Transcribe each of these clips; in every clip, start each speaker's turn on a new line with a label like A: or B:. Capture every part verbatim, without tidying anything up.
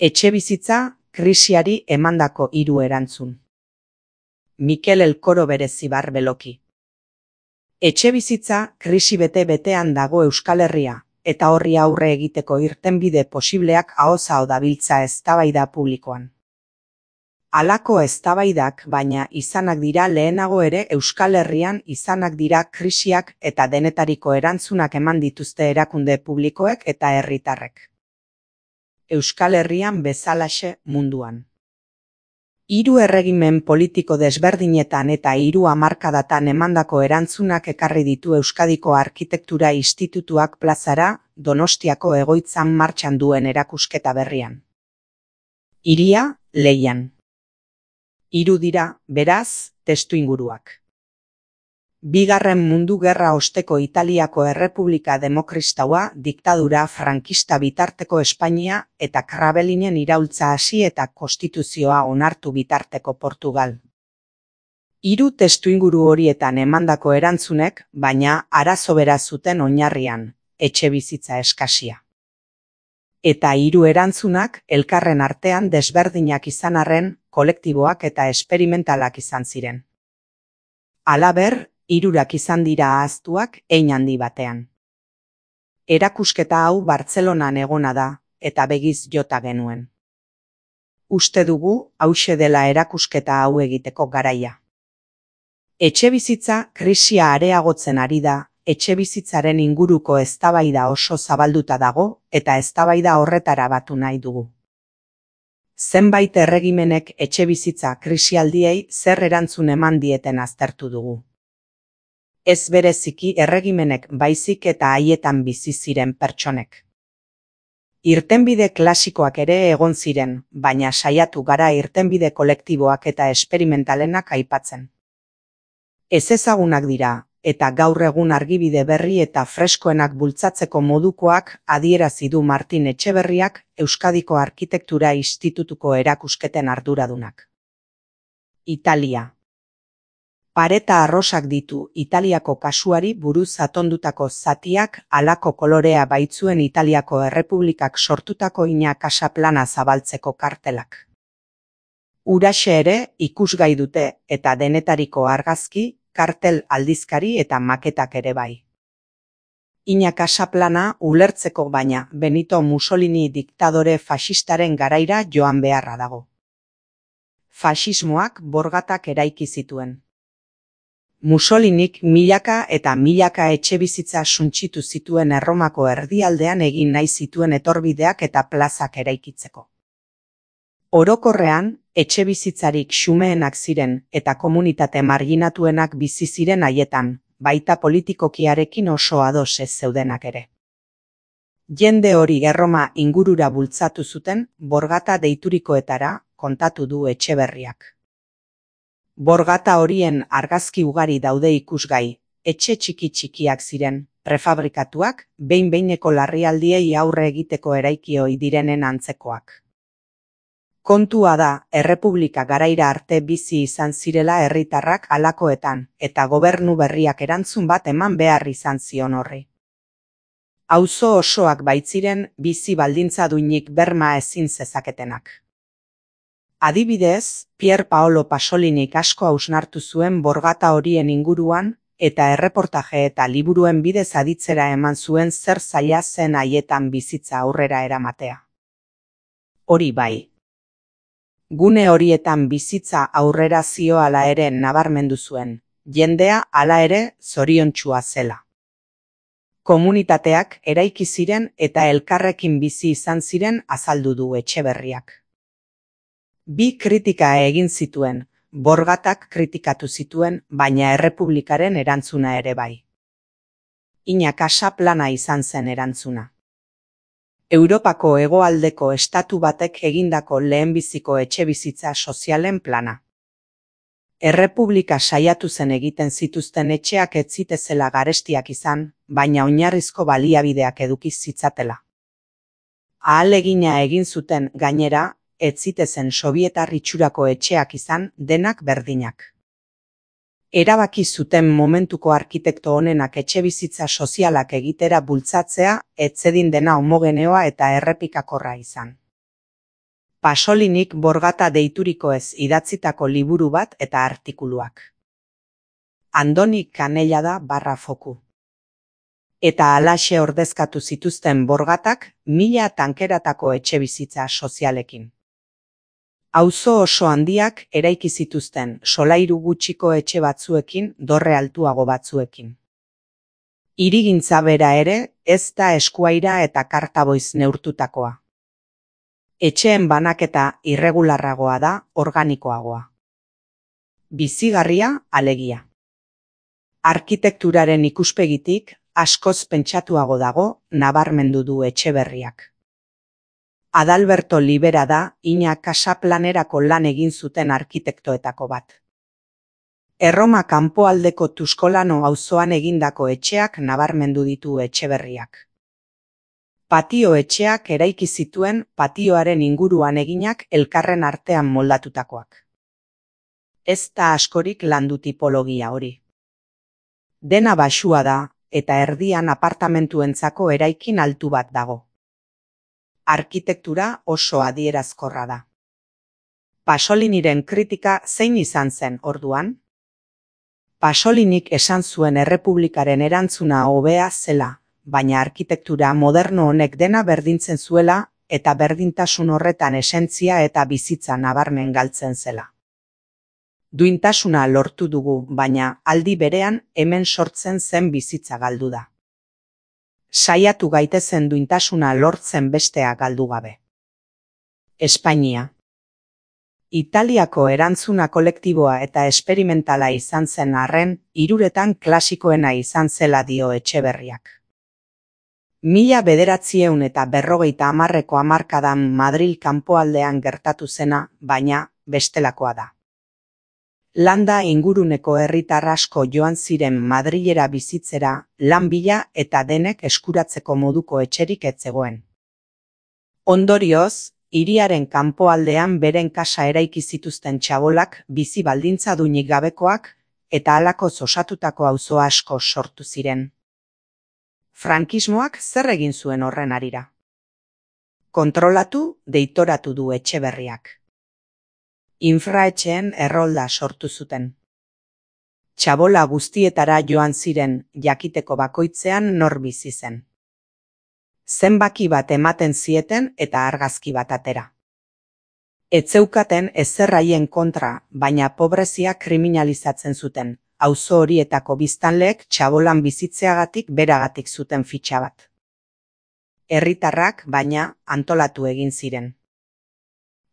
A: Etxebizitza krisiari emandako hiru erantzun. Mikel Elkoro Berezibar Beloki. Etxebizitza krisi bete-betean dago Euskal Herria, eta horri aurre egiteko irtenbide posibleak ahoz aho dabiltza eztabaida publikoan. Halako eztabaidak baina izanak dira lehenago ere Euskal Herrian izanak dira krisiak eta denetariko erantzunak eman dituzte erakunde publikoek eta herritarrek. Euskal Herrian bezalaxe munduan. Hiru erregimen politiko desberdinetan eta hiru hamarkadatan emandako erantzunak ekarri ditu Euskadiko Arkitektura Institutuak plazara, Donostiako egoitzan martxan duen erakusketa berrian. Hiria, Leian. Hiru dira, beraz, testuinguruak. Bigarren Mundu Gerra osteko Italiako Errepublika Demokristaua, diktadura frankista bitarteko Espainia eta Krabelinen iraultza hasi eta konstituzioa onartu bitarteko Portugal. Hiru testuinguru horietan emandako erantzunek, baina arazo bera zuten oinarrian, etxebizitza eskasia. Eta hiru erantzunak elkarren artean desberdinak izan arren, kolektiboak eta esperimentalak izan ziren. Halaber, hirurak izan dira ahaztuak hein handi batean. Erakusketa hau Bartzelonan egona da, eta begiz jota genuen. Uste dugu, hauxe dela erakusketa hau egiteko garaia. Etxebizitza krisia areagotzen ari da, etxebizitzaren inguruko eztabaida oso zabalduta dago, eta eztabaida horretara batu nahi dugu. Zenbait erregimenek etxebizitza krisialdiei zer erantzun eman dieten aztertu dugu. Ez bereziki erregimenek baizik eta haietan bizi ziren pertsonek. Irtenbide klasikoak ere egon ziren, baina saiatu gara irtenbide kolektiboak eta esperimentalenak aipatzen. Ezezagunak dira, eta gaur egun argibide berri eta freskoenak bultzatzeko modukoak adierazi du Martin Etxeberriak, Euskadiko Arkitektura Institutuko erakusketen arduradunak. Italia. Pareta arrosak ditu Italiako kasuari buruz atondutako zatiak halako kolorea baitzuen Italiako Errepublikak sortutako ina kasa plana zabaltzeko kartelak. Huraxe ere ikusgai dute eta denetariko argazki, kartel aldizkari eta maketak ere bai. Ina kasa plana ulertzeko baina Benito Mussolini diktadore faxistaren garaira joan beharra dago. Faxismoak borgatak eraiki zituen. Mussolinik milaka eta milaka etxebizitza suntsitu zituen Erromako erdialdean egin nahi zituen etorbideak eta plazak eraikitzeko. Orokorrean, etxebizitzarik xumeenak ziren eta komunitate marginatuenak bizi ziren haietan, baita politikokiarekin oso ados ez zeudenak ere. Jende hori Erroma ingurura bultzatu zuten, borgata deiturikoetara, kontatu du Etxeberriak. Borgata horien argazki ugari daude ikusgai, etxe txiki-txikiak ziren, prefabrikatuak, behin-behineko larrialdiei aurre egiteko eraiki ohi direnen antzekoak. Kontua da, Errepublika garaira arte bizi izan zirela herritarrak halakoetan, eta gobernu berriak erantzun bat eman behar izan zion horri. Auzo osoak baitziren bizi baldintza duinik berma ezin zezaketenak. Adibidez, Pier Paolo Pasolinik asko hausnartu zuen borgata horien inguruan, eta erreportaje eta liburuen bidez aditzera eman zuen zer zaila zen haietan bizitza aurrera eramatea. Hori bai. Gune horietan bizitza aurrera zioala ere nabarmendu zuen, jendea hala ere zoriontsua zela. Komunitateak eraiki ziren eta elkarrekin bizi izan ziren azaldu du Etxeberriak. Bi kritika egin zituen, borgatak kritikatu zituen, baina Errepublikaren erantzuna ere bai. Ina kasa plana izan zen erantzuna. Europako hegoaldeko estatu batek egindako lehenbiziko etxebizitza sozialen plana. Errepublika saiatu zen egiten zituzten etxeak ez zitezela garestiak izan, baina oinarrizko baliabideak eduki zitzatela. Ahalegina egin zuten gainera, ez zitezen sobietar itxurako etxeak izan, denak berdinak. Erabaki zuten momentuko arkitekto honenak etxebizitza sozialak egitera bultzatzea, ez zedin dena homogeneoa eta errepikakorra izan. Pasolinik Borgata deiturikoez idatzitako liburu bat eta artikuluak. Andoni Kanellada barra foku. Eta halaxe ordezkatu zituzten Borgatak mila tankeratako etxebizitza sozialekin. Auzo oso handiak eraiki zituzten solairu gutxiko etxe batzuekin, dorre altuago batzuekin. Hirigintza bera ere ez da eskuaira eta kartaboiz neurtutakoa. Etxeen banaketa irregularragoa da, organikoagoa. Bizigarria, alegia. Arkitekturaren ikuspegitik askoz pentsatuago dago, nabarmendu du Etxeberriak. Adalberto Libera da Ina Kasaplanerako lan egin zuten arkitektoetako bat. Erroma kanpoaldeko Tuskolano auzoan egindako etxeak nabarmendu ditu Etxeberriak. Patio etxeak eraiki zituen patioaren inguruan eginak elkarren artean moldatutakoak. Ez da askorik landu tipologia hori. Dena baxua da, eta erdian apartamentuentzako eraikin altu bat dago. Arkitektura oso adierazkorra da. Pasoliniren kritika zein izan zen orduan? Pasolinik esan zuen errepublikaren erantzuna hobea zela, baina arkitektura moderno honek dena berdintzen zuela eta berdintasun horretan esentzia eta bizitza nabarmen galtzen zela. Duintasuna lortu dugu, baina aldi berean hemen sortzen zen bizitza galdu da. Saiatu gaitezen duintasuna lortzen bestea galdu gabe. Espainia. Italiako erantzuna kolektiboa eta esperimentala izan zen arren, hiruretan klasikoena izan zela dio Etxeberriak. Mila bederatzieun eta berrogeita hamarreko hamarkadan Madril kanpoaldean gertatu zena, baina bestelakoa da. Landa inguruneko herritar asko joan ziren Madrilera bizitzera, lan bila eta denek eskuratzeko moduko etxerik ez zegoen. Ondorioz, hiriaren kanpoaldean beren kasa eraiki zituzten txabolak bizi baldintza duinik gabekoak eta halakoz osatutako auzo asko sortu ziren. Frankismoak zer egin zuen horren harira? Kontrolatu, deitoratu du Etxeberriak. Infraetxeen errolda sortu zuten. Txabola guztietara joan ziren jakiteko bakoitzean nor bizi zen. Zenbaki bat ematen zieten eta argazki bat atera. Ez zeukaten ezer haien kontra, baina pobrezia kriminalizatzen zuten, auzo horietako biztanleek txabolan bizitzeagatik beragatik zuten fitxa bat. Herritarrak, baina, antolatu egin ziren.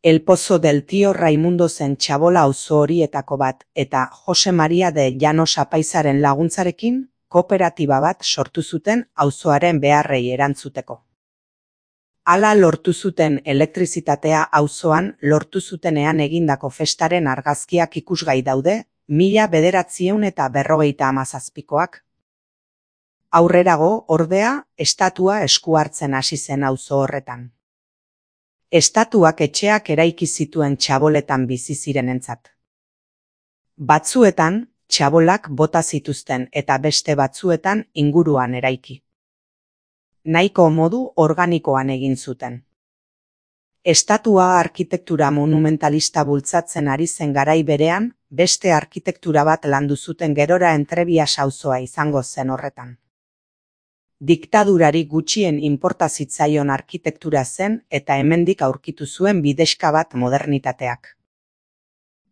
A: El Pozo del Tío Raimundo zen txabola auzo horietako bat eta Jose Maria de Llanos apaizaren laguntzarekin kooperatiba bat sortu zuten auzoaren beharrei erantzuteko. Hala lortu zuten elektrizitatea auzoan lortu zutenean egindako festaren argazkiak ikusgai daude, mila bederatzieun eta berrogeita hamazazpikoak. Aurrerago, ordea, estatua esku hartzen hasi zen auzo horretan. Estatuak etxeak eraiki zituen txaboletan bizi zirenentzat. Batzuetan, txabolak bota zituzten eta beste batzuetan inguruan eraiki. Nahiko modu organikoan egin zuten. Estatua arkitektura monumentalista bultzatzen ari zen garai berean, beste arkitektura bat landu zuten gerora Entrebias auzoa izango zen horretan. Diktadurari gutxien inporta zitzaion arkitektura zen eta hemendik aurkitu zuen bidexka bat modernitateak.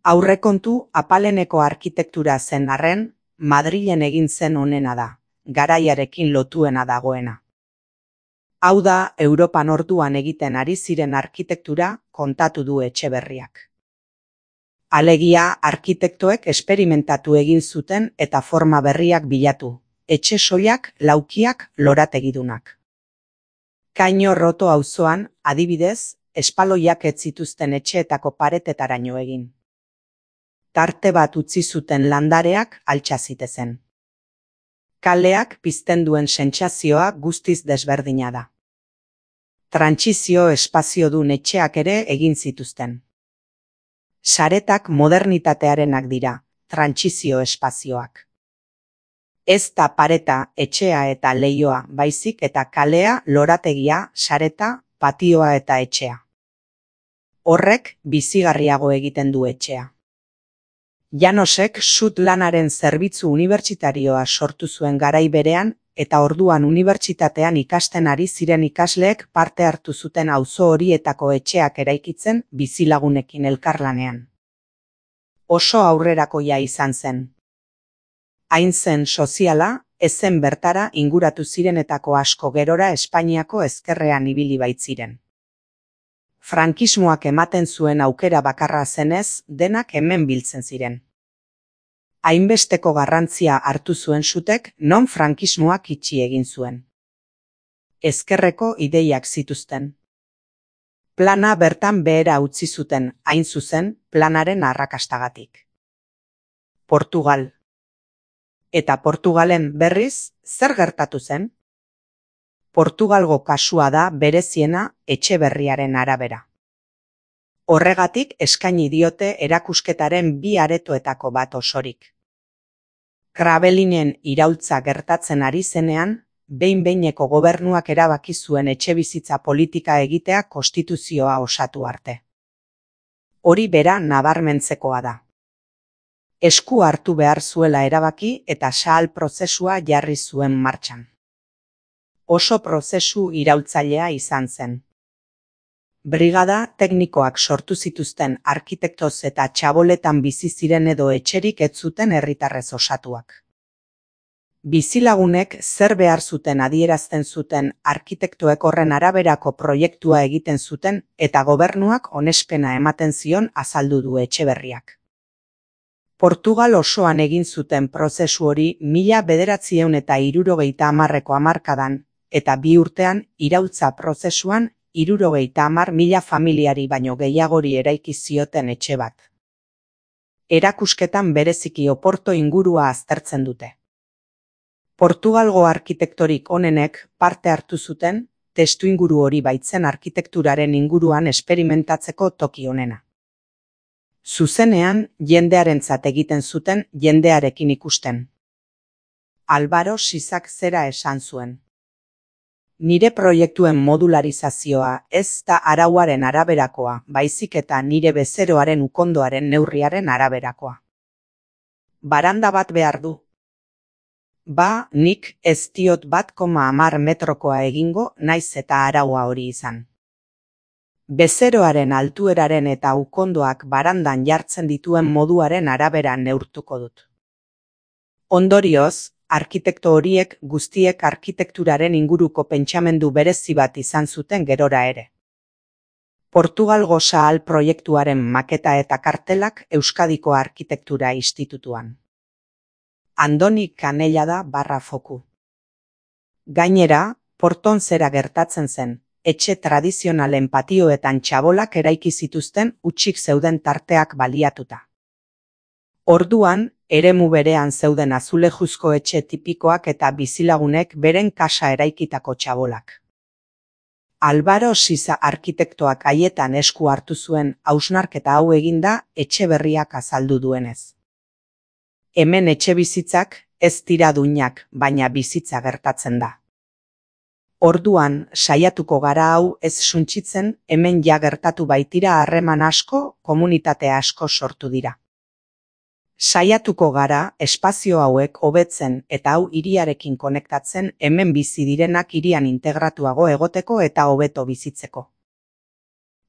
A: Aurrekontu apaleneko arkitektura zen arren, Madrilen egin zen onena da, garaiarekin lotuena dagoena. Hau da, Europan orduan egiten ari ziren arkitektura kontatu du Etxeberriak. Alegia, arkitektoek esperimentatu egin zuten eta forma berriak bilatu. Etxe soilak, laukiak, lorategidunak. Kaino Roto auzoan, adibidez, espaloiak ez zituzten etxeetako paretetaraino egin. Tarte bat utzi zuten landareak altxa zitezen. Kaleak pizten duen sentsazioa guztiz desberdina da. Trantsizio espaziodun etxeak ere egin zituzten. Saretak modernitatearenak dira, trantsizio espazioak. Ez da pareta, etxea eta leihoa, baizik eta kalea, lorategia, sareta, patioa eta etxea. Horrek bizigarriago egiten du etxea. Janosek sud lanaren zerbitzu unibertsitarioa sortu zuen garai berean, eta orduan unibertsitatean ikasten ari ziren ikasleek parte hartu zuten auzo horietako etxeak eraikitzen bizilagunekin elkarlanean. Oso aurrerakoia izan zen. Hain zen soziala, ezen bertara inguratu zirenetako asko gerora Espainiako ezkerrean ibili baitziren. Frankismoak ematen zuen aukera bakarra zenez, denak hemen biltzen ziren. Hainbesteko garrantzia hartu zuen sutek non frankismoak itxi egin zuen. Ezkerreko ideiak zituzten. Plana bertan behera utzi zuten, hain zuzen, planaren arrakastagatik. Portugal. Eta Portugalen berriz, zer gertatu zen? Portugalgo kasua da bereziena Etxeberriaren arabera. Horregatik eskaini diote erakusketaren bi aretoetako bat osorik. Kravelinen iraultza gertatzen ari zenean, behin-behineko gobernuak erabaki zuen etxebizitza politika egitea konstituzioa osatu arte. Hori bera nabarmentzekoa da. Esku hartu behar zuela erabaki eta sahal prozesua jarri zuen martxan. Oso prozesu iraultzailea izan zen. Brigada teknikoak sortu zituzten arkitektoz eta txaboletan bizi ziren edo etxerik ez zuten herritarrez osatuak. Bizilagunek zer behar zuten adierazten zuten arkitektoek horren araberako proiektua egiten zuten eta gobernuak onespena ematen zion azaldu du Etxeberriak. Portugal osoan egin zuten prozesu hori mila bederatziehun eta hirurogeita hamarreko hamarkadan eta bi urtean iraultza prozesuan hirurogeita hamar mila familiari baino gehiagori eraiki zioten etxe bat. Erakusketan bereziki Oporto ingurua aztertzen dute. Portugalgo arkitektorik onenek parte hartu zuten, testuinguru hori baitzen arkitekturaren inguruan esperimentatzeko toki onena. Zuzenean, jendearentzat egiten zuten jendearekin ikusten. Álvaro Sisak zera esan zuen. Nire proiektuen modularizazioa ez da arauaren araberakoa, baizik eta nire bezeroaren ukondoaren neurriaren araberakoa. Baranda bat behar du. Ba, nik ez diot bat koma hamar metrokoa egingo naiz eta araua hori izan. Bezeroaren altueraren eta ukondoak barandan jartzen dituen moduaren arabera neurtuko dut. Ondorioz, arkitekto horiek guztiek arkitekturaren inguruko pentsamendu berezi bat izan zuten gerora ere. Portugalgo sahal proiektuaren maketa eta kartelak Euskadiko Arkitektura Institutuan. Andoni Canellada barra foku. Gainera, Porton zera gertatzen zen, etxe tradizionalen patioetan txabolak eraiki zituzten hutsik zeuden tarteak baliatuta. Orduan, eremu berean zeuden azulejuzko etxe tipikoak eta bizilagunek beren kasa eraikitako txabolak. Álvaro Sisa arkitektoak haietan esku hartu zuen hausnarketa hau eginda Etxeberriak azaldu duenez. Hemen etxebizitzak ez dira duinak, baina bizitza gertatzen da. Orduan, saiatuko gara hau ez suntsitzen, hemen ja gertatu baitira harreman asko, komunitate asko sortu dira. Saiatuko gara, espazio hauek hobetzen eta hau hiriarekin konektatzen hemen bizi direnak hirian integratuago egoteko eta hobeto bizitzeko.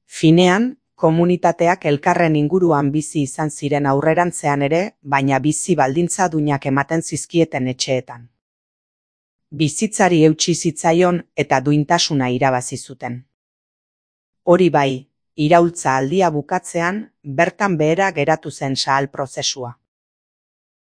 A: Finean, komunitateak elkarren inguruan bizi izan ziren aurrerantzean ere, baina bizi baldintza duinak ematen zizkieten etxeetan. Bizitzari eutsi zitzaion eta duintasuna irabazi zuten. Hori bai, iraultza aldia bukatzean, bertan behera geratu zen sahal prozesua.